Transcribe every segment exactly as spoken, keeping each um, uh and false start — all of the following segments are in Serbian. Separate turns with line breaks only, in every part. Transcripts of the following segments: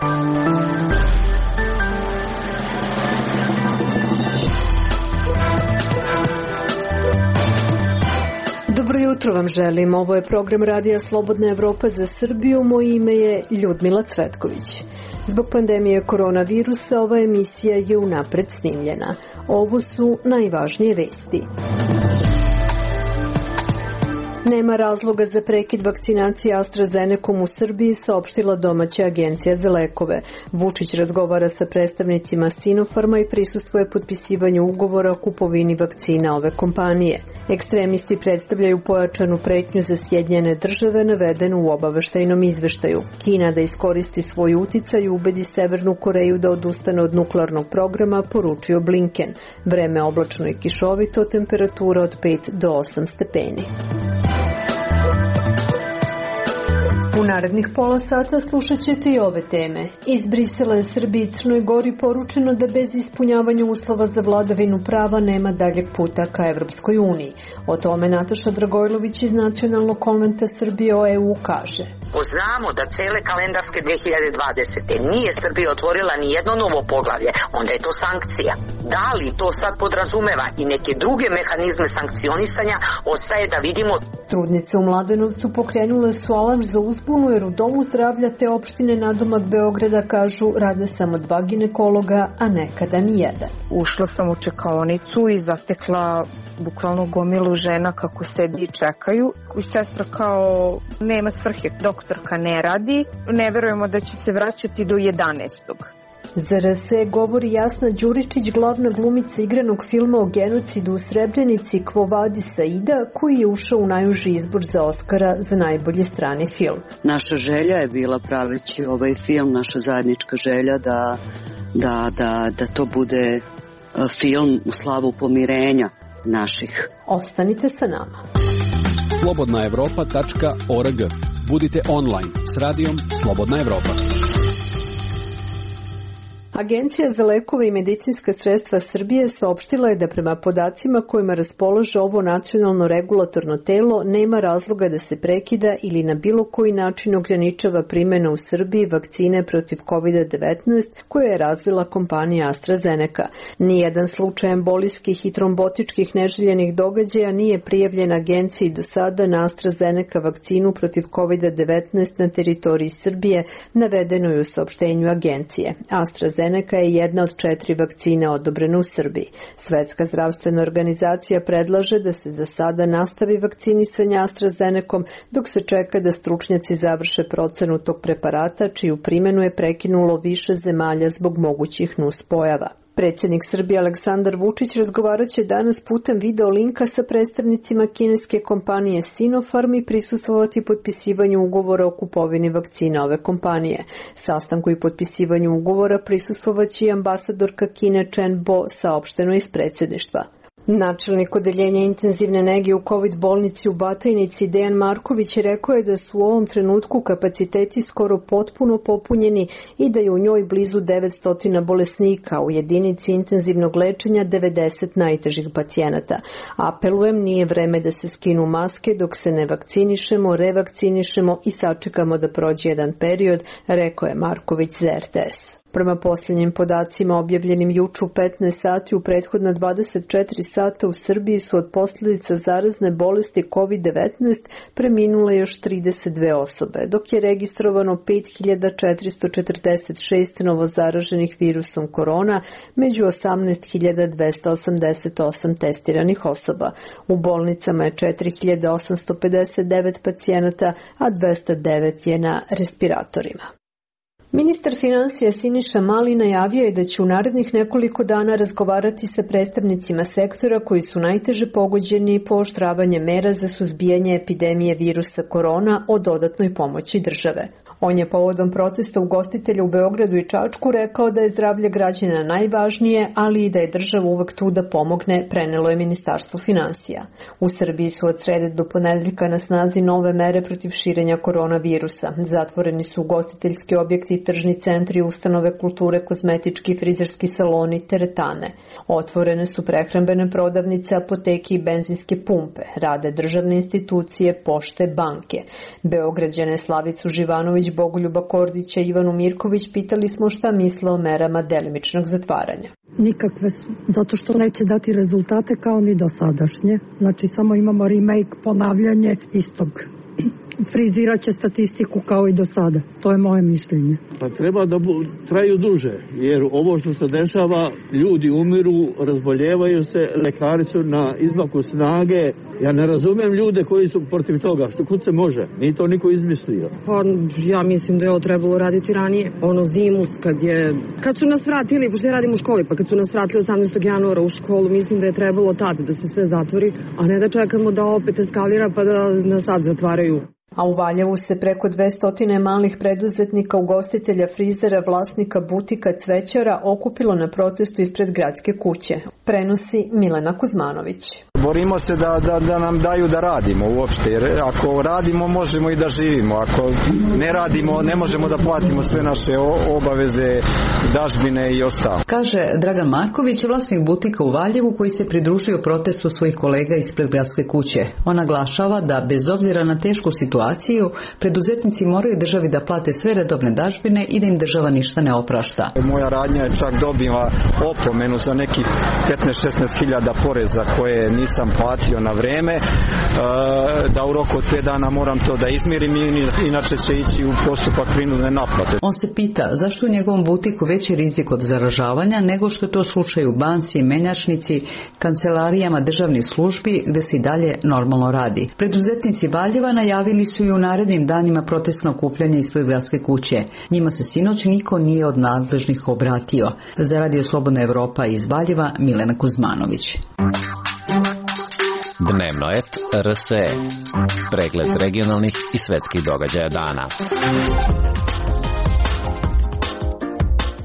Dobro jutro vam želim. Ovo je program Radija Slobodna Evropa za Srbiju. Moje ime je Ljudmila Cvetković. Zbog pandemije koronavirusa ova emisija je unapred snimljena. Ovo su najvažnije vesti. Nema razloga za prekid vakcinacije AstraZenecom u Srbiji, saopštila domaća agencija za lekove. Vučić razgovara sa predstavnicima Sinopharma i prisustvuje potpisivanju ugovora o kupovini vakcina ove kompanije. Ekstremisti predstavljaju pojačanu pretnju za Sjedinjene države, navedenu u obaveštajnom izveštaju. Kina da iskoristi svoj uticaj i ubedi Severnu Koreju da odustane od nuklearnog programa, poručio Blinken. Vreme oblačno i kišovito, temperatura od pet do osam stepeni. U narednih pola sata slušat ćete i ove teme. Iz Brisela je Srbiji i Crnoj Gori poručeno da bez ispunjavanja uslova za vladavinu prava nema daljeg puta ka Evropskoj uniji. O tome Nataša Dragojlović iz Nacionalnog konventa Srbije o E U kaže.
Znamo da cele kalendarske dve hiljade dvadesete. nije Srbija otvorila ni jedno novo poglavlje, onda je to sankcija. Da li to sad podrazumeva i neke druge mehanizme sankcionisanja, ostaje da vidimo.
Trudnice u Mladenovcu pokrenule su alarm za uzbunu jer u Domu zdravlja te opštine nadomak Beograda kažu rade samo dva ginekologa, a nekada ni jedan.
Ušla sam u čekaonicu i zatekla bukvalno gomilu žena kako sedi i čekaju. I sestra kao nema svrhe, doktorka ne radi, ne verujemo da će se vraćati do jedanaestog
Za R S E govori Jasna Đuričić, glavna glumica igranog filma o genocidu u Srebrenici Quo Vadis Aida, koji je ušao u najuži izbor za Oskara za najbolji strani film.
Naša želja je bila praveći ovaj film, naša zajednička želja da, da, da, da to bude film u slavu pomirenja naših.
Ostanite sa nama.
slobodna evropa tačka org. Budite online s radijom Slobodna Evropa.
Agencija za lekove i medicinska sredstva Srbije saopštila je da prema podacima kojima raspolaže ovo nacionalno regulatorno telo nema razloga da se prekida ili na bilo koji način ograničava primjena u Srbiji vakcine protiv kovid devetnaest koje je razvila kompanija AstraZeneca. Nijedan slučaj embolijskih i trombotičkih neželjenih događaja nije prijavljen agenciji do sada na AstraZeneca vakcinu protiv kovid devetnaest na teritoriji Srbije, navedeno je u saopštenju agencije. AstraZeneca AstraZeneca je jedna od četiri vakcine odobrene u Srbiji. Svetska zdravstvena organizacija predlaže da se za sada nastavi vakcinisanje AstraZenecom dok se čeka da stručnjaci završe procenu tog preparata, čiju primjenu je prekinulo više zemalja zbog mogućih nuspojava. Predsjednik Srbije Aleksandar Vučić razgovarat će danas putem video linka sa predstavnicima kineske kompanije Sinopharm i prisustvovati potpisivanju ugovora o kupovini vakcina ove kompanije. Sastanku i potpisivanju ugovora prisustvovaće i ambasadorka Kine Chen Bo, saopšteno iz predsjedništva. Načelnik odeljenja intenzivne nege u COVID bolnici u Batajnici Dejan Marković rekao je da su u ovom trenutku kapaciteti skoro potpuno popunjeni i da je u njoj blizu devetsto bolesnika, u jedinici intenzivnog lečenja devedeset najtežih pacijenata. Apelujem, nije vreme da se skinu maske dok se ne vakcinišemo, revakcinišemo i sačekamo da prođe jedan period, rekao je Marković za R T S. Prema posljednjim podacima objavljenim juče u petnaest sati, u prethodna dvadeset četiri sata u Srbiji su od posljedica zarazne bolesti kovid devetnaest preminule još trideset dve osobe, dok je registrovano pet hiljada četiristo četrdeset šest novozaraženih virusom korona među osamnaest hiljada dvesta osamdeset osam testiranih osoba. U bolnicama je četiri hiljade osamsto pedeset devet pacijenata, a dvesta devet je na respiratorima. Ministar finansija Siniša Mali najavio je da će u narednih nekoliko dana razgovarati sa predstavnicima sektora koji su najteže pogođeni pooštravanjem mera za suzbijanje epidemije virusa korona o dodatnoj pomoći države. On je povodom protesta ugostitelja u Beogradu i Čačku rekao da je zdravlje građana najvažnije, ali i da je država uvek tu da pomogne, prenelo je Ministarstvo finansija. U Srbiji su od srede do ponedeljka na snazi nove mere protiv širenja koronavirusa. Zatvoreni su ugostiteljski objekti, tržni centri, ustanove kulture, kozmetički, frizerski saloni, teretane. Otvorene su prehrambene prodavnice, apoteke i benzinske pumpe. Rade državne institucije, pošte, banke. Beograđane Slavicu Živanović Bogoljuba Kordića i Ivanu Mirković pitali smo šta misle o merama delimičnog zatvaranja.
Nikakve su, zato što neće dati rezultate kao ni dosadašnje. Znači samo imamo remake, ponavljanje istog. Frizirat će statistiku kao i do sada. To je moje mišljenje.
Pa treba da bu, traju duže, jer ovo što se dešava, ljudi umiru, razboljevaju se, lekari su na izmaku snage. Ja ne razumem ljude koji su protiv toga, što kud se može, nije to niko izmislio.
Pa ja mislim da je ovo trebalo raditi ranije, ono zimus kad je, kad su nas vratili, pošto ja radim u školi, pa kad su nas vratili osamnaestog januara u školu, mislim da je trebalo tada da se sve zatvori, a ne da čekamo da opet eskalira pa da nas sad zatvaraju.
A u Valjevu se preko dvesta malih preduzetnika, ugostitelja, frizera, vlasnika butika, cvećara okupilo na protestu ispred gradske kuće. Prenosi Milena Kuzmanović.
Borimo se da, da, da nam daju da radimo uopšte, jer ako radimo možemo i da živimo, ako ne radimo ne možemo da platimo sve naše obaveze, dažbine i ostalo.
Kaže Dragan Marković, vlasnik butika u Valjevu koji se pridružio protestu svojih kolega ispred gradske kuće. On naglašava da bez obzira na tešku situaciju, preduzetnici moraju državi da plate sve redovne dažbine i da im država ništa ne oprašta.
Moja radnja je čak dobila opomenu za nekih petnaest šesnaest hiljada poreza koje nisam platio na vreme, da u roku od pet dana moram to da izmirim, inače će ići u postupak prinudne naplate.
On se pita zašto u njegovom butiku veći rizik od zaražavanja nego što je to slučaj u banci, menjačnici, kancelarijama državnih službi gde se i dalje normalno radi. Preduzetnici Valjeva najavili su i u narednim danima protestno okupljanje ispred gradske kuće. Njima se sinoć niko nije od nadležnih obratio. Za Radio Slobodna Evropa iz Valjeva, Milena Kuzmanović.
Dnevno et R S E. Pregled regionalnih i svetskih događaja dana.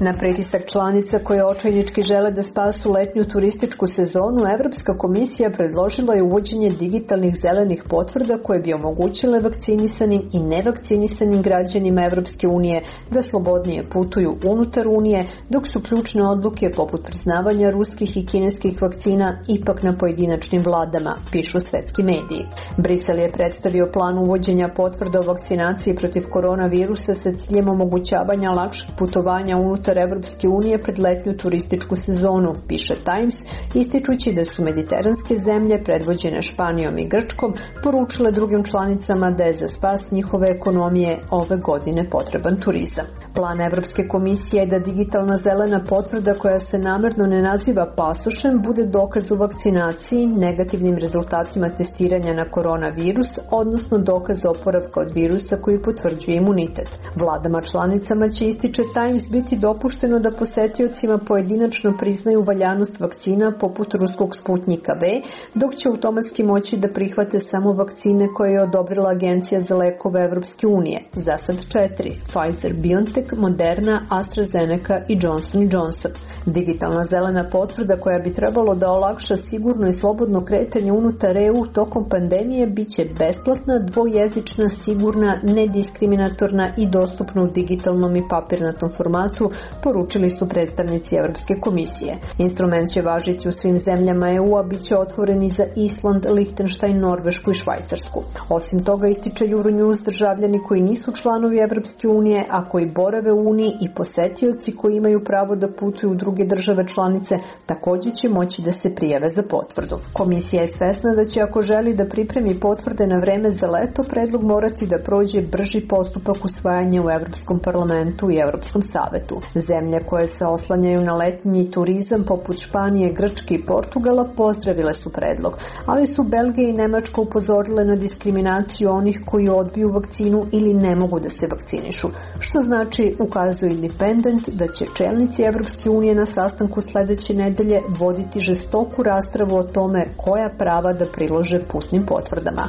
Na pritisak članica koje očajnički žele da spasu letnju turističku sezonu, Evropska komisija predložila je uvođenje digitalnih zelenih potvrda koje bi omogućile vakcinisanim i nevakcinisanim građanima Evropske unije da slobodnije putuju unutar Unije, dok su ključne odluke poput priznavanja ruskih i kineskih vakcina ipak na pojedinačnim vladama, pišu svetski mediji. Brisel je predstavio plan uvođenja potvrda o vakcinaciji protiv koronavirusa sa ciljem omogućavanja lakšeg putovanja unutar Evropske unije pred letnju turističku sezonu, piše Times, ističući da su mediteranske zemlje, predvođene Španijom i Grčkom, poručile drugim članicama da je za spas njihove ekonomije ove godine potreban turizam. Plan Evropske komisije je da digitalna zelena potvrda koja se namerno ne naziva pasošem bude dokaz o vakcinaciji, negativnim rezultatima testiranja na koronavirus, odnosno dokaz oporavka od virusa koji potvrđuje imunitet. Vladama članicama će, ističe Times, biti dopušteno da posetiocima pojedinačno priznaju valjanost vakcina poput ruskog Sputnjika V, dok će automatski moći da prihvate samo vakcine koje je odobrila Agencija za lekove Evropske unije. Za sad četiri: Pfizer, BioNTech, Moderna, AstraZeneca i Johnson and Johnson. Digitalna zelena potvrda koja bi trebalo da olakša sigurno i slobodno kretanje unutar E U tokom pandemije biće besplatna, dvojezična, sigurna, nediskriminatorna i dostupna u digitalnom i papirnatom formatu, poručili su predstavnici Evropske komisije. Instrument će važiti u svim zemljama E U-a, bit će otvoren i za Island, Lihtenštajn, Norvešku i Švajcarsku. Osim toga, ističe Euronews, državljani koji nisu članovi Evropske unije, a koji borave u Uniji i posetioci koji imaju pravo da putuju u druge države članice, također će moći da se prijave za potvrdu. Komisija je svesna da će, ako želi da pripremi potvrde na vreme za leto, predlog morati da prođe brži postupak usvajanja u Evropskom parlamentu i Evropskom savetu. Zemlje koje se oslanjaju na letnji turizam poput Španije, Grčke i Portugala pozdravile su predlog, ali su Belgija i Nemačka upozorile na diskriminaciju onih koji odbiju vakcinu ili ne mogu da se vakcinišu, što znači, ukazuje Independent, da će čelnici Evropske unije na sastanku sledeće nedelje voditi žestoku raspravu o tome koja prava da prilože putnim potvrdama.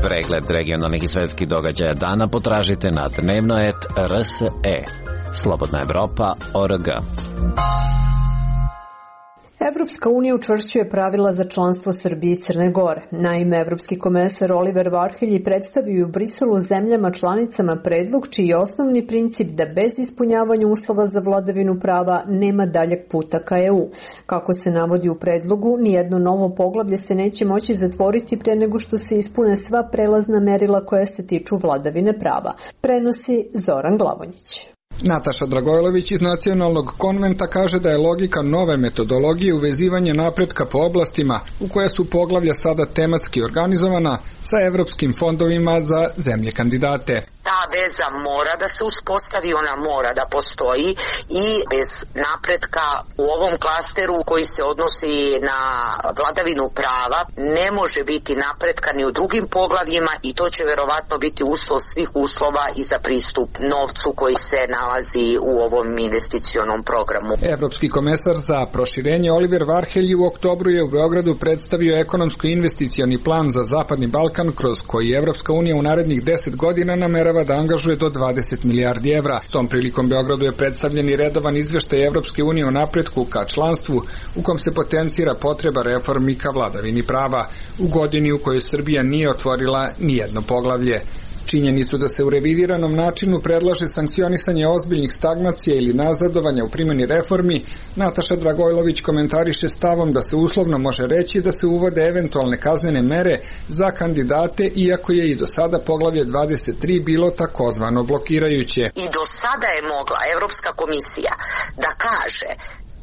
Pregled regionalnih i svetskih događaja dana potražite na dnevno et R S E. Slobodna Evropa, O R G.
Evropska unija učvršćuje pravila za članstvo Srbije i Crne Gore. Naime, evropski komesar Oliver Varhelji predstavio u Briselu zemljama članicama predlog čiji je osnovni princip da bez ispunjavanja uslova za vladavinu prava nema daljeg puta ka E U. Kako se navodi u predlogu, nijedno novo poglavlje se neće moći zatvoriti pre nego što se ispune sva prelazna merila koja se tiču vladavine prava. Prenosi Zoran Glavonjić.
Nataša Dragojlović iz Nacionalnog konventa kaže da je logika nove metodologije uvezivanje napretka po oblastima u koje su poglavlja sada tematski organizovana sa evropskim fondovima za zemlje kandidate.
Ta veza mora da se uspostavi, ona mora da postoji i bez napretka u ovom klasteru koji se odnosi na vladavinu prava ne može biti napretka ni u drugim poglavljima i to će verovatno biti uslov svih uslova i za pristup novcu koji se nalazi u ovom investicionom programu.
Evropski komesar za proširenje Oliver Varhelji u oktobru je u Beogradu predstavio ekonomsko-investicioni plan za Zapadni Balkan kroz koji Evropska unija u narednih deset godina namerava da angažuje do dvadeset milijardi evra. Tom prilikom Beogradu je predstavljen i redovan izveštaj Evropske unije o napretku ka članstvu u kom se potencira potreba reformi ka vladavini prava u godini u kojoj Srbija nije otvorila ni jedno poglavlje. Činjenicu da se u revidiranom načinu predlaže sankcionisanje ozbiljnih stagnacija ili nazadovanja u primjeni reformi, Nataša Dragojlović komentariše stavom da se uslovno može reći da se uvode eventualne kaznene mere za kandidate, iako je i do sada poglavlje dvadeset tri bilo takozvano blokirajuće.
I do sada je mogla Evropska komisija da kaže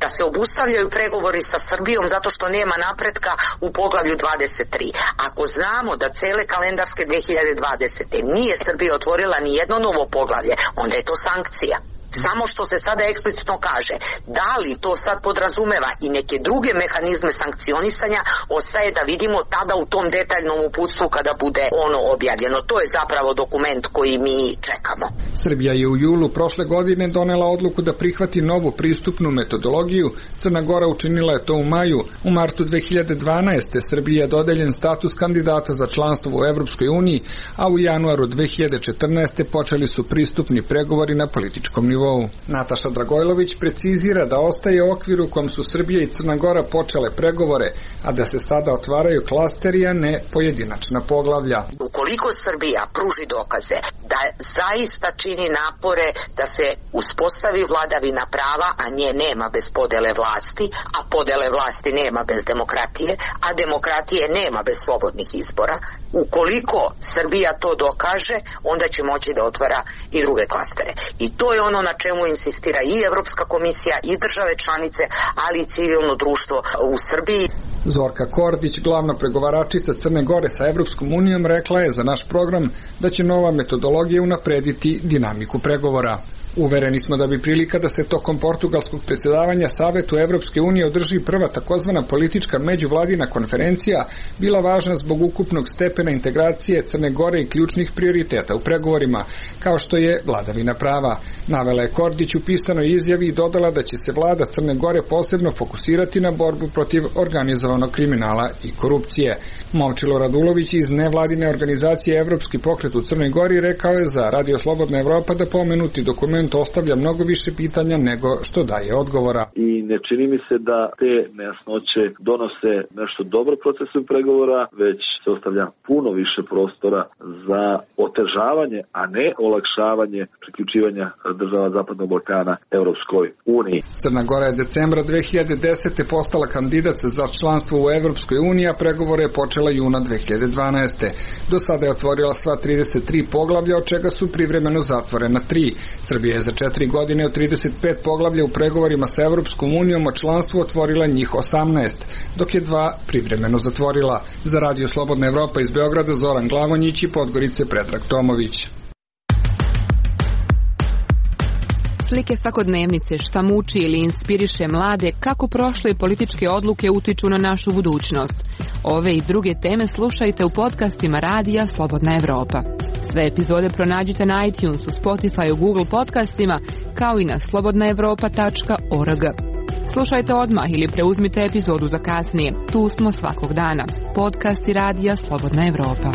da se obustavljaju pregovori sa Srbijom zato što nema napretka u poglavlju dvadeset tri. Ako znamo da cele kalendarske dve hiljade dvadesete. nije Srbija otvorila ni jedno novo poglavlje, onda je to sankcija. Samo što se sada eksplicitno kaže, da li to sad podrazumeva i neke druge mehanizme sankcionisanja, ostaje da vidimo tada u tom detaljnom uputstvu kada bude ono objavljeno. To je zapravo dokument koji mi čekamo.
Srbija je u julu prošle godine donela odluku da prihvati novu pristupnu metodologiju. Crna Gora učinila je to u maju. U martu dve hiljade dvanaeste. Srbiji je dodeljen status kandidata za članstvo u Evropskoj uniji, a u januaru dve hiljade četrnaeste. počeli su pristupni pregovori na političkom nivou. Nataša Dragojlović precizira da ostaje okvir u kom su Srbija i Crna Gora počele pregovore, a da se sada otvaraju klasteri, a ne pojedinačna poglavlja.
Ukoliko Srbija pruži dokaze da zaista čini napore da se uspostavi vladavina prava, a nje nema bez podele vlasti, a podele vlasti nema bez demokratije, a demokratije nema bez slobodnih izbora, ukoliko Srbija to dokaže, onda će moći da otvara i druge klastere. I to je ono na čemu insistira i Evropska komisija i države članice, ali i civilno društvo u Srbiji.
Zorka Kordić, glavna pregovaračica Crne Gore sa Evropskom unijom, rekla je za naš program da će nova metodologija unaprediti dinamiku pregovora. Uvereni smo da bi prilika da se tokom portugalskog predsjedavanja Savetu Evropske unije održi prva takozvana politička međuvladina konferencija bila važna zbog ukupnog stepena integracije Crne Gore i ključnih prioriteta u pregovorima, kao što je vladavina prava. Navela je Kordić u pisanoj izjavi i dodala da će se vlada Crne Gore posebno fokusirati na borbu protiv organizovanog kriminala i korupcije. Momčilo Radulović iz nevladine organizacije Evropski pokret u Crnoj Gori rekao je za Radio Slobodna Evropa da pomenuti dokument ostavlja mnogo više pitanja nego što daje odgovora.
I ne čini mi se da te nejasnoće donose nešto dobro procesu pregovora, već se ostavlja puno više prostora za otežavanje, a ne olakšavanje priključivanja država Zapadnog Balkana Evropskoj uniji.
Crna Gora je decembra dve hiljade desete. postala kandidat za članstvo u Evropskoj uniji, a pregovore je počela juna dve hiljade dvanaeste. Do sada je otvorila sva trideset tri poglavlja, od čega su privremeno zatvorena tri. Srbija je za četiri godine od trideset pet poglavlja u pregovorima sa Evropskom unijom o članstvu otvorila njih osamnaest, dok je dva privremeno zatvorila. Za Radio Slobodna Evropa iz Beograda Zoran Glavonjić i Podgorice Predrag Tomović.
Slike svakodnevnice, šta muči ili inspiriše mlade, kako prošle političke odluke utiču na našu budućnost. Ove i druge teme slušajte u podcastima Radija Slobodna Evropa. Sve epizode pronađite na iTunesu, Spotifyu, Google podcastima, kao i na slobodna evropa tačka org. Slušajte odmah ili preuzmite epizodu za kasnije. Tu smo svakog dana. Podcasti Radija Slobodna Evropa.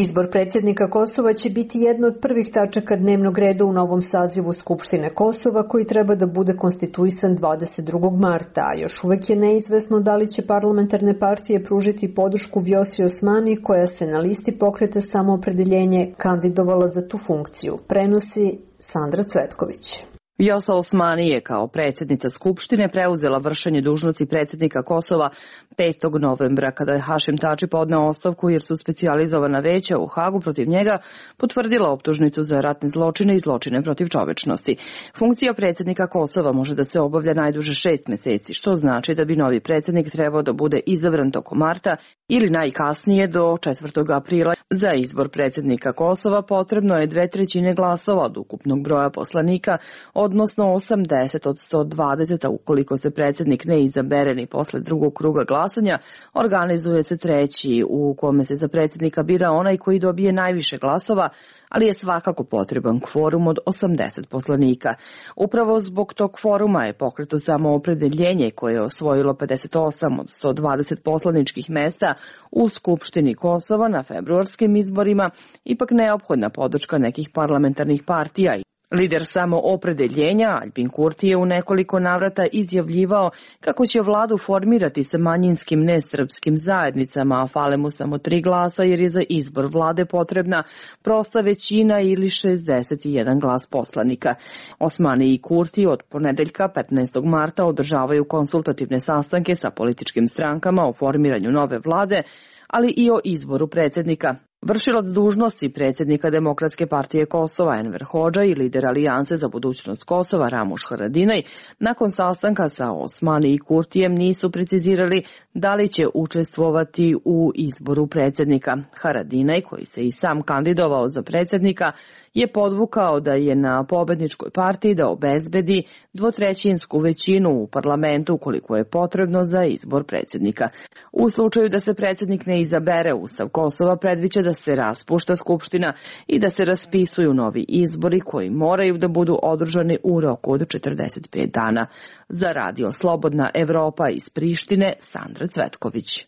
Izbor predsjednika Kosova će biti jedna od prvih tačaka dnevnog reda u novom sazivu Skupštine Kosova koji treba da bude konstituisan dvadeset drugog marta, a još uvek je neizvesno da li će parlamentarne partije pružiti podršku Vjosi Osmani koja se na listi Pokreta Samoopredeljenje kandidovala za tu funkciju. Prenosi Sandra Cvetković.
Vjosa Osmani je kao predsjednica Skupštine preuzela vršenje dužnosti predsjednika Kosova petog novembra kada je Hašim Tači podneo ostavku jer su specijalizovana veća u Hagu protiv njega potvrdila optužnicu za ratne zločine i zločine protiv čovečnosti. Funkcija predsjednika Kosova može da se obavlja najduže šest meseci, što znači da bi novi predsjednik trebao da bude izabran tokom marta ili najkasnije do četvrtog aprila. Za izbor predsjednika Kosova potrebno je dve trećine glasova od ukupnog broja poslanika, odnosno osamdeset od sto dvadeset, a ukoliko se predsjednik ne izabere ni posle drugog kruga glasanja, organizuje se treći u kome se za predsjednika bira onaj koji dobije najviše glasova, ali je svakako potreban kvorum od osamdeset poslanika. Upravo zbog tog kvoruma je Pokretu Samoopredeljenje koje je osvojilo pedeset osam od sto dvadeset poslaničkih mesta u Skupštini Kosova na februarskim izborima ipak neophodna podrška nekih parlamentarnih partija. Lider Samoopredeljenja Aljbin Kurti je u nekoliko navrata izjavljivao kako će vladu formirati sa manjinskim nesrpskim zajednicama, a fale mu samo tri glasa jer je za izbor vlade potrebna prosta većina ili šezdeset jedan glas poslanika. Osmani i Kurti od ponedeljka petnaestog marta održavaju konsultativne sastanke sa političkim strankama o formiranju nove vlade, ali i o izboru predsjednika. Vršilac dužnosti predsjednika Demokratske partije Kosova Enver Hodža i lider Alijanse za budućnost Kosova Ramuš Haradinaj nakon sastanka sa Osmani i Kurtijem nisu precizirali da li će učestvovati u izboru predsjednika. Haradinaj, koji se i sam kandidovao za predsjednika, je podvukao da je na pobedničkoj partiji da obezbedi dvotrećinsku većinu u parlamentu koliko je potrebno za izbor predsjednika. U slučaju da se predsjednik ne izabere, Ustav Kosova predviđa da se raspušta Skupština i da se raspisuju novi izbori koji moraju da budu održani u roku od četrdeset pet dana. Za Radio Slobodna Evropa iz Prištine, Sandra Cvetković.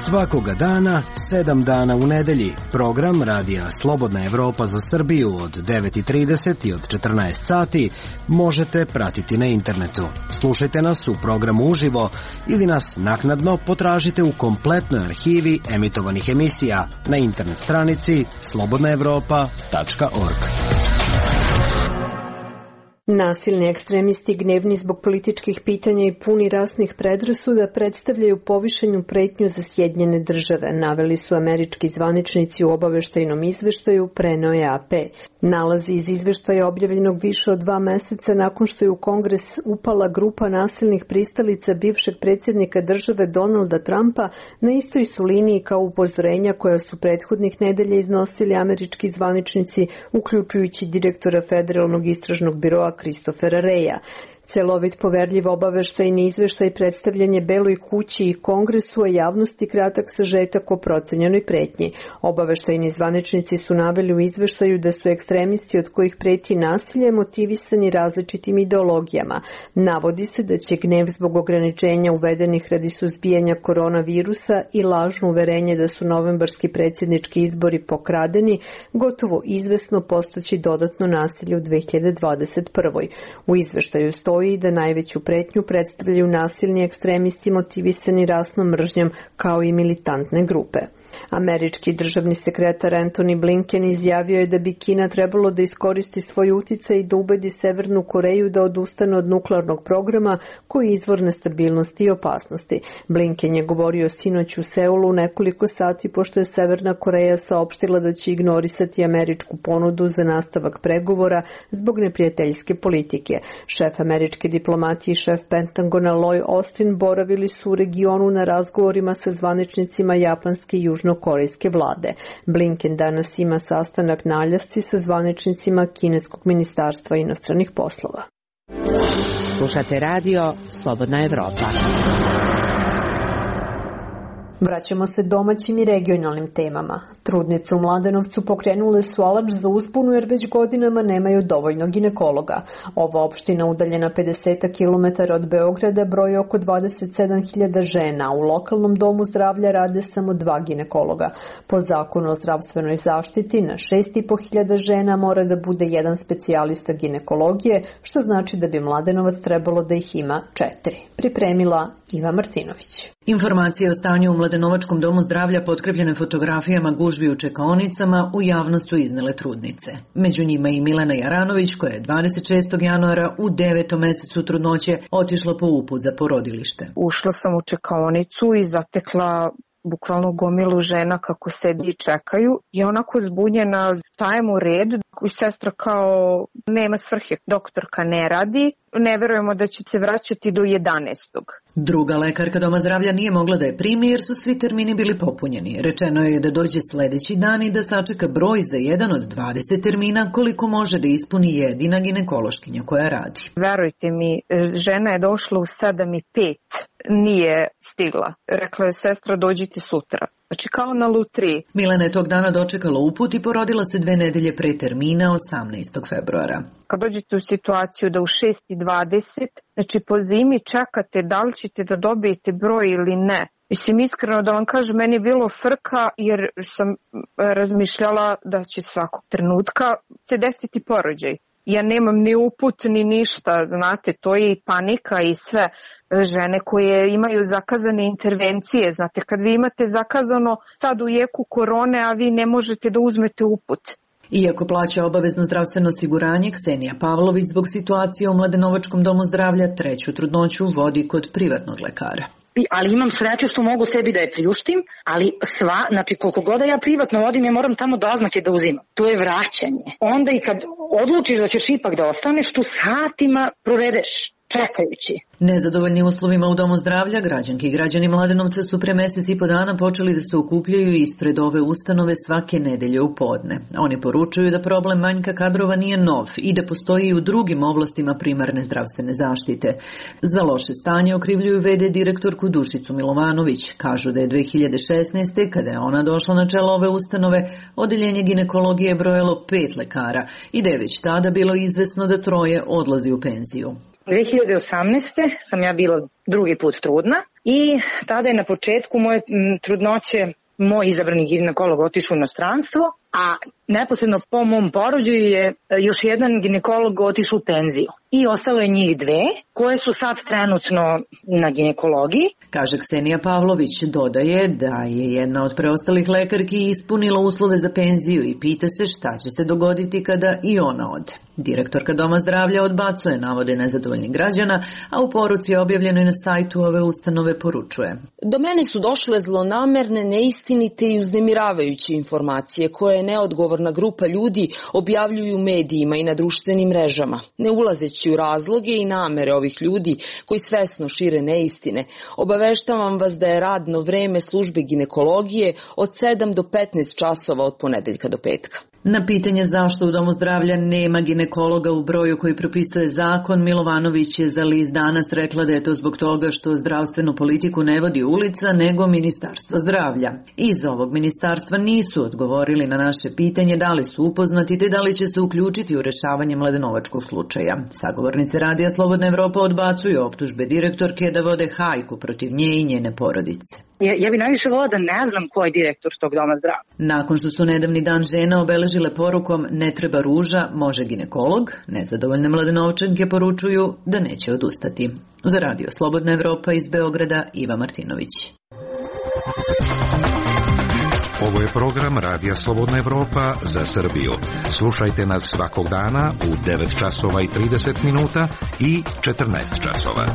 Svakoga dana, sedam dana u nedelji, program Radija Slobodna Evropa za Srbiju od devet i trideset i od četrnaest sati možete pratiti na internetu. Slušajte nas u programu uživo ili nas naknadno potražite u kompletnoj arhivi emitovanih emisija na internet stranici slobodna evropa tačka org.
Nasilni ekstremisti, gnevni zbog političkih pitanja i puni rasnih predrasuda, predstavljaju povišenju pretnju za Sjedinjene države, naveli su američki zvaničnici u obaveštajnom izveštaju, preneo je A P. Nalazi iz izveštaja objavljenog više od dva meseca nakon što je u Kongres upala grupa nasilnih pristalica bivšeg predsjednika države Donalda Trumpa na istoj su liniji kao upozorenja koja su prethodnih nedelja iznosili američki zvaničnici, uključujući direktora Federalnog istražnog biroa Christophera Reja. Celovit, poverljiv obaveštajni izveštaj predstavljanje Beloj kući i Kongresu, a javnosti kratak sažetak o procenjenoj pretnji. Obaveštajni zvaničnici su naveli u izveštaju da su ekstremisti od kojih preti nasilje motivisani različitim ideologijama. Navodi se da će gnev zbog ograničenja uvedenih radi suzbijanja koronavirusa i lažno uverenje da su novembarski predsjednički izbori pokradeni gotovo izvesno postaći dodatno nasilje u dve hiljade dvadeset prvoj. U izveštaju stoji i da najveću pretnju predstavljaju nasilni ekstremisti motivisani rasnom mržnjom kao i militantne grupe. Američki državni sekretar Antony Blinken izjavio je da bi Kina trebalo da iskoristi svoj uticaj i da ubedi Severnu Koreju da odustane od nuklearnog programa koji je izvor nestabilnosti i opasnosti. Blinken je govorio sinoć u Seulu nekoliko sati pošto je Severna Koreja saopštila da će ignorisati američku ponudu za nastavak pregovora zbog neprijateljske politike. Šef američke diplomatije i šef Pentagona Lloyd Austin boravili su u regionu na razgovorima sa zvaničnicima japanske i južnokorejske vlade. Blinken danas ima sastanak na Aljasci sa zvaničnicima kineskog ministarstva inostranih poslova.
Slušate radio Slobodna Evropa.
Vraćamo se domaćim i regionalnim temama. Trudnice u Mladenovcu pokrenule su alarm za uzbunu jer već godinama nemaju dovoljno ginekologa. Ova opština udaljena pedeset kilometara od Beograda broji oko dvadeset sedam hiljada žena. U lokalnom domu zdravlja rade samo dva ginekologa. Po zakonu o zdravstvenoj zaštiti na šest i po hiljada žena mora da bude jedan specijalista ginekologije, što znači da bi Mladenovac trebalo da ih ima četiri. Pripremila Iva Martinović.
Informacije o stanju u Mladenovačkom domu zdravlja potkrepljene fotografijama gužvi u čekaonicama u javnost su iznele trudnice. Među njima i Milena Jaranović koja je dvadeset šestog januara u devetom mesecu trudnoće otišla po uput za porodilište.
Ušla sam u čekaonicu i zatekla bukvalno gomilu žena kako sedi i čekaju i onako zbunjena, stajem u red i sestra kao nema svrhe, doktorka ne radi, ne verujemo da će se vraćati do jedanaestog.
Druga lekarka doma zdravlja nije mogla da je primi jer su svi termini bili popunjeni. Rečeno je da dođe sledeći dan i da sačeka broj za jedan od dvadeset termina koliko može da ispuni jedina ginekološkinja koja radi.
Verujte mi, žena je došla u sedam i pet, nije stigla. Rekla je sestra dođite sutra. Znači kao na lutriji.
Milena je tog dana dočekala uput i porodila se dve nedelje pre termina osamnaestog februara.
Kad dođete u situaciju da u šest i dvadeset, znači po zimi čekate da li ćete da dobijete broj ili ne. Mislim, iskreno da vam kažem, meni je bilo frka jer sam razmišljala da će svakog trenutka se desiti porođaj. Ja nemam ni uput ni ništa, znate, to je i panika i sve. Žene koje imaju zakazane intervencije, znate, kad vi imate zakazano sad u jeku korone, a vi ne možete da uzmete uput.
Iako plaća obavezno zdravstveno osiguranje, Ksenija Pavlović zbog situacije u Mladenovačkom domu zdravlja treću trudnoću vodi kod privatnog lekara.
Ali imam sreće što mogu sebi da je priuštim, ali sva, znači koliko god da ja privatno vodim, ja moram tamo doznake da uzimam. To je vraćanje. Onda i kad odlučiš da ćeš ipak da ostaneš, tu satima provedeš čekajući.
Nezadovoljni uslovima u domu zdravlja, građanki i građani Mladenovca su pre mesec i po dana počeli da se okupljaju ispred ove ustanove svake nedelje u podne. Oni poručuju da problem manjka kadrova nije nov i da postoji i u drugim oblastima primarne zdravstvene zaštite. Za loše stanje okrivljuju ve de direktorku Dušicu Milovanović. Kažu da je dve hiljade šesnaeste. kada je ona došla na čelo ove ustanove, odeljenje ginekologije brojalo pet lekara i da je već tada bilo izvesno da troje odlazi u penziju.
dve hiljade osamnaeste. sam ja bila drugi put trudna i tada je na početku moje trudnoće moj izabrani ginekolog otišao u inostranstvo, a neposredno po mom porođaju je još jedan ginekolog otišao u penziju. I ostalo je njih dve, koje su sad trenutno na ginekologiji.
Kaže Ksenija Pavlović, dodaje da je jedna od preostalih lekarki ispunila uslove za penziju i pita se šta će se dogoditi kada i ona ode. Direktorka Doma zdravlja odbacuje navode nezadovoljnih građana, a u poruci objavljenoj na sajtu ove ustanove poručuje.
Do mene su došle zlonamerne, neistinite i uznemiravajuće informacije koje neodgovorna grupa ljudi objavljuju u medijima i na društvenim mrežama. Ne ulazeći u razloge i namere ovih ljudi koji svesno šire neistine, obaveštavam vas da je radno vreme službe ginekologije od sedam do petnaest časova od ponedeljka do petka.
Na pitanje zašto u Domu zdravlja nema ginekologa u broju koji propisuje zakon, Milovanović je za list Danas rekla da je to zbog toga što zdravstvenu politiku ne vodi ulica, nego Ministarstvo zdravlja. Iz ovog ministarstva nisu odgovorili na naše pitanje da li su upoznati te da li će se uključiti u rešavanje mladenovačkog slučaja. Sagovornice Radija Slobodna Evropa odbacuju optužbe direktorke da vode hajku protiv nje i njene porodice.
Ja, ja bi najviše volila da ne znam ko je direktor tog Doma zdravlja.
Nakon što su nedavni dan žena obeležile porukom ne treba ruža, može ginekolog, nezadovoljne Mladenovčanke poručuju da neće odustati. Za Radio Slobodna Evropa iz Beograda, Iva Martinović.
Ovo je program Radija Slobodna Evropa za Srbiju. Slušajte nas svakog dana u devet časova i trideset minuta i četrnaest časova.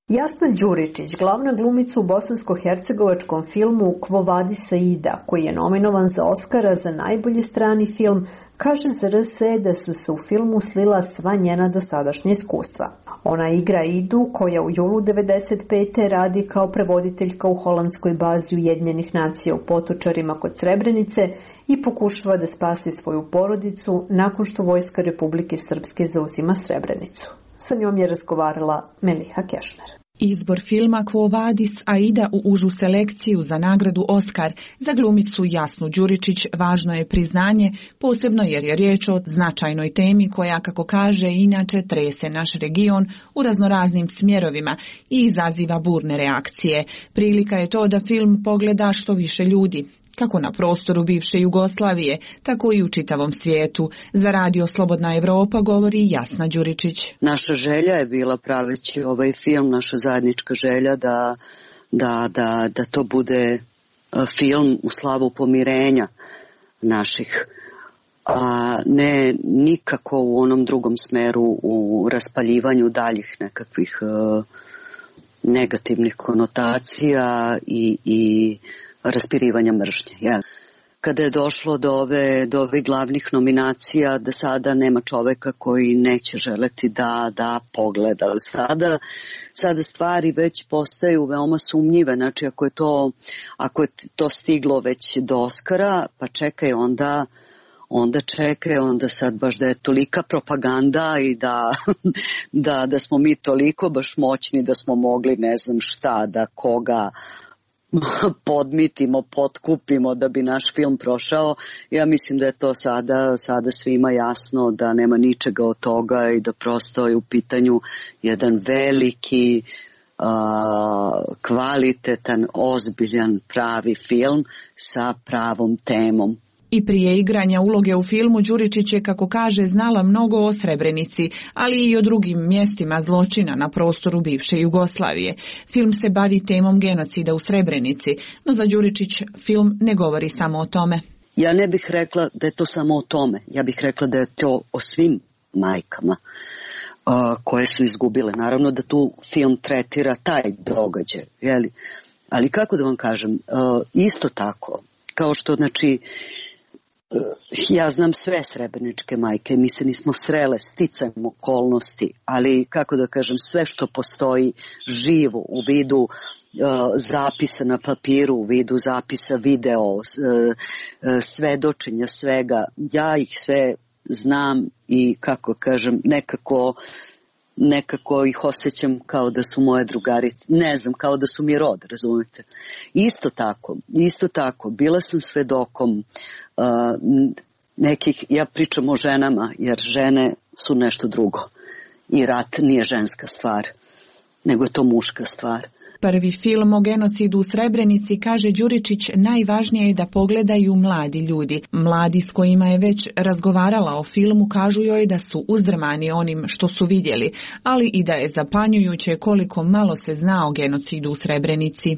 Jasna Đuričić, glavna glumica u bosansko-hercegovačkom filmu Quo Vadis Aida, koji je nominovan za Oskara za najbolji strani film, kaže za er es e da su se u filmu slila sva njena dosadašnja iskustva. Ona igra Idu, koja u julu devedeset pete radi kao prevoditeljka u holandskoj bazi Ujedinjenih nacija u Potočarima kod Srebrenice i pokušava da spasi svoju porodicu nakon što Vojska Republike Srpske zauzima Srebrenicu. Sa njom je razgovarala Meliha Kešmer.
Izbor filma Quo Vadis Aida u užu selekciju za nagradu Oskar za glumicu Jasnu Đuričić važno je priznanje, posebno jer je riječ o značajnoj temi koja, kako kaže, inače trese naš region u raznoraznim smjerovima i izaziva burne reakcije. Prilika je to da film pogleda što više ljudi, kako na prostoru bivše Jugoslavije, tako i u čitavom svijetu. Za radio Slobodna Evropa govori Jasna Đuričić.
Naša želja je bila, praveći ovaj film, naša zajednička želja da, da, da, da to bude film u slavu pomirenja naših, a ne nikako u onom drugom smeru, u raspaljivanju daljih nekakvih uh, negativnih konotacija i, i raspirivanja mržnje. Ja. Kada je došlo do ove, do ovih glavnih nominacija, da sada nema čoveka koji neće želeti da, da pogleda. Sada, sada stvari već postaju veoma sumnjive. Znači, ako je to, ako je to stiglo već do Oskara, pa čekaj onda, onda čekaj, onda sad baš da je tolika propaganda i da, da, da smo mi toliko baš moćni da smo mogli ne znam šta, da koga podmitimo, potkupimo da bi naš film prošao. Ja mislim da je to sada, sada svima jasno da nema ničega od toga i da prosto je u pitanju jedan veliki, a, kvalitetan, ozbiljan, pravi film sa pravom temom.
I prije igranja uloge u filmu Đuričić je, kako kaže, znala mnogo o Srebrenici, ali i o drugim mjestima zločina na prostoru bivše Jugoslavije. Film se bavi temom genocida u Srebrenici, no za Đuričić film ne govori samo o tome.
Ja ne bih rekla da je to samo o tome. Ja bih rekla da je to o svim majkama uh, koje su izgubile. Naravno da tu film tretira taj događaj, jeli? Ali kako da vam kažem, uh, isto tako, kao što, znači, ja znam sve srebreničke majke, mi se nismo srele sticajem okolnosti, ali kako da kažem, sve što postoji živo u vidu uh, zapisa na papiru, u vidu zapisa video, uh, uh, svedočenja svega, ja ih sve znam i kako kažem, nekako nekako ih osjećam kao da su moje drugarice, ne znam, kao da su mi rod, razumete. Isto tako, isto tako, bila sam svedokom uh, nekih, ja pričam o ženama, jer žene su nešto drugo i rat nije ženska stvar, nego je to muška stvar.
Prvi film o genocidu u Srebrenici, kaže Đuričić, najvažnije je da pogledaju mladi ljudi. Mladi s kojima je već razgovarala o filmu kažu joj da su uzdrmani onim što su vidjeli, ali i da je zapanjujuće koliko malo se zna o genocidu u Srebrenici.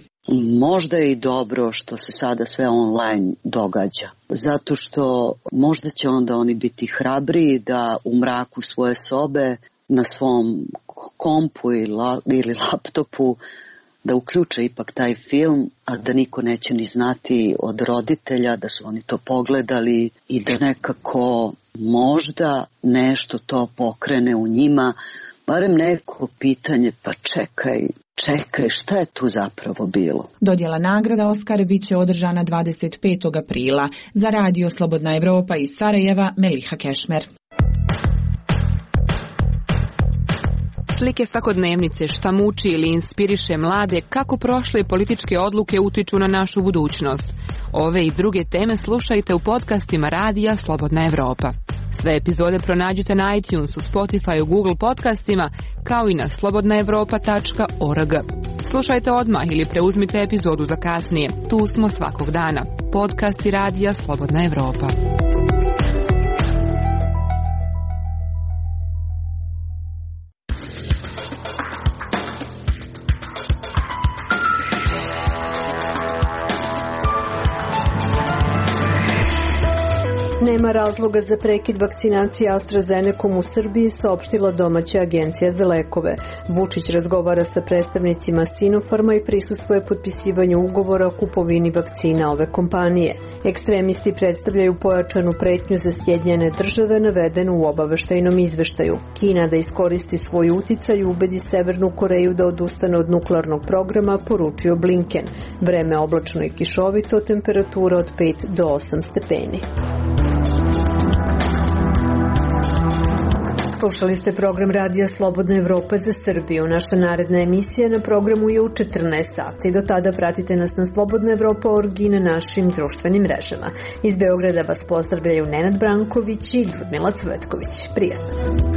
Možda je i dobro što se sada sve online događa, zato što možda će onda oni biti hrabri da u mraku svoje sobe na svom kompu ili laptopu da uključe ipak taj film, a da niko neće ni znati od roditelja da su oni to pogledali i da nekako možda nešto to pokrene u njima, barem neko pitanje, pa čekaj, čekaj, šta je tu zapravo bilo?
Dodjela nagrada Oskar bit će održana dvadeset petog aprila. Za radio Slobodna Evropa iz Sarajeva, Meliha Kešmer.
Slike svakodnevnice, šta muči ili inspiriše mlade, kako prošle političke odluke utiču na našu budućnost. Ove i druge teme slušajte u podcastima radija Slobodna Evropa. Sve epizode pronađite na iTunesu, Spotify, Google podcastima, kao i na slobodna evropa tačka org. Slušajte odmah ili preuzmite epizodu za kasnije. Tu smo svakog dana. Podcasti radija Slobodna Evropa.
Nema razloga za prekid vakcinacije AstraZenecom u Srbiji, saopštila domaća agencija za lekove. Vučić razgovara sa predstavnicima Sinopharma i prisustvuje potpisivanju ugovora o kupovini vakcina ove kompanije. Ekstremisti predstavljaju pojačanu pretnju za Sjedinjene države navedenu u obaveštajnom izveštaju. Kina da iskoristi svoj uticaj i ubedi Severnu Koreju da odustane od nuklearnog programa, poručio Blinken. Vreme oblačno i kišovito, temperatura od pet do osam stepeni. Slušali ste program Radija Slobodna Evropa za Srbiju. Naša naredna emisija na programu je u četrnaest sati. Do tada pratite nas na slobodna evropa tačka org i na našim društvenim mrežama. Iz Beograda vas pozdravljaju Nenad Branković i Ljudmila Cvetković. Prijatno.